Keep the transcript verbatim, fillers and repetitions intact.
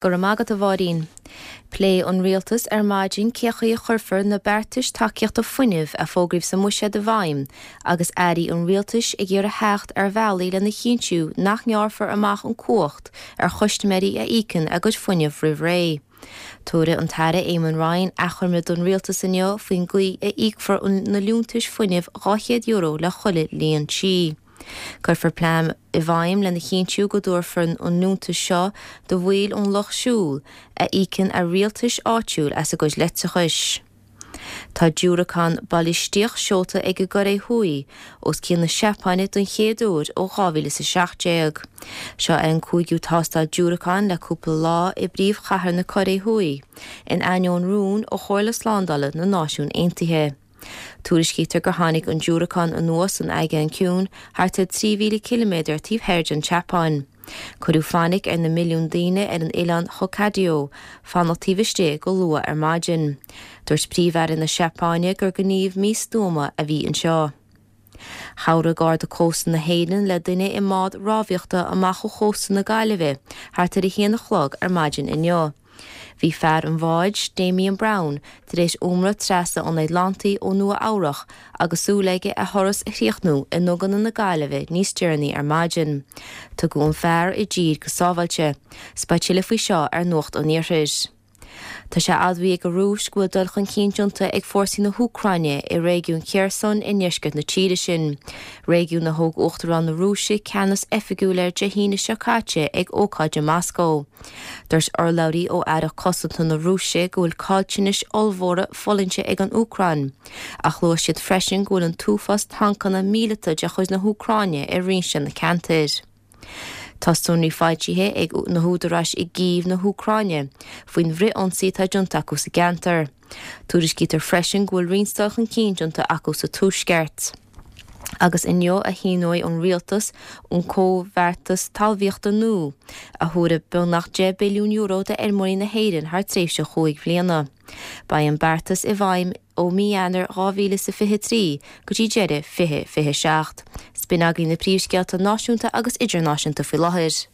Go raibh maith agat a Mháirín. Pléifidh an rialtas ar maidin cén chaoi a chuirfear na beartais tacaíochta fuinnimh a fógraíodh sa mbuiséad i bhfeidhm agus airí an rialtais ag iarraidh theacht ar bhealaí lena chinntiú nach ngearrfar amach an cumhacht ar chustaiméirí a íocann a gcuid fuinnimh roimh ré. Tabharfaidh an tAire Eamon Ryan achoimre don rialtas inniu faoin gcaoi a íocfar na liúntais fuinnimh dhá chéad euro le chuile líon tí. Cuirfear plean i bhfeidhm lena chinntiú go dtabharfar an liúntas seo do bhaill ón lucht siúil a íocann a rialtais áitiúil as a gcuid leictreachais. Tá diúracán bailisteach seolta ag an gCóiré Thuaidh os cionn na Seapáine don chéad uair ó dhá mhíle is a seacht déag. Seo é an cúigiú tástáil diúracáin le cúpla lá i bpríomhchathair na Cóiré Thuaidh, in ainneoin rún ó Chomhairle Slándála na Náisiún Aontaithe. Tuairiscítear gur tháinig an diúracán anuas san Aigéan Ciúin thart ar trí mhíle ciliméadar taobh thoir den tSeapáin. Cuireadh fainic ar na milliúin daoine ar an oileán Hokkaido fanacht taobh istigh go luath ar maidin. Dúirt Príomh-Aire na Seapáine gur gníomh místuama a bhí anseo. Chabhraigh Garda Cósta na hÉireann le duine i mbád rámhaíochta amach ó chósta na Gaillimhe thart ar a haon a chlog ar maidin inniu. Bhí fear an bháid, Damien Brown, tar éis iomramh trasna an Atlantaigh ó Nua Eabhrach agus súil aige a thuras a chríochnú i nduganna na Gaillimhe níos deireanaí ar maidin. Tugadh an fear i dtír go sábháilte. 'S beidh tuilleadh faoi seo ar Nuacht an Iarthair. Tá sé admhaithe ag an Rúis go bhfuil dul chun cinn déanta ag fórsaí na hÚcráine i réigiún Kherson i ndeisceart na tíre sin, réigiún a thóg Uachtarán na Rúise ceannas oifigiúil air Dé hAoine seo caite ag ócáid i Moscó. Dúirt urlabhraí ó Aireacht Cosanta na Rúise go bhfuil caillteanais ollmhóra fulaingte ag an Úcráin, ach luaigh siad freisin go bhfuil an t-uafás tancanna míleata de chuid na hÚcráine i roinnt de na ceantair. Tá sonraí foilsithe ag na húdaráis i gCív na hÚcráine faoin bhfrith-ionsaí atá déanta acu sa gceantar. Tuairiscítear freisin go bhfuil roinnt dul chun cinn déanta acu sa tuaisceart. Agus inniu a shíneoidh an rialtas an comhbheartas talmhaíochta nua, a thabharfaidh beagnach deich billiún euro d'fheirmeoirí na hÉireann thar tréimhse chúig bhliana. Beidh an beartas i bhfeidhm ó mí Eanáir dhá mhíle is a fiche trí go dtí deireadh fiche fiche seacht. 'S b'in agaibh na príomhscéalta náisiúnta agus idirnáisiúnta faoi láthair.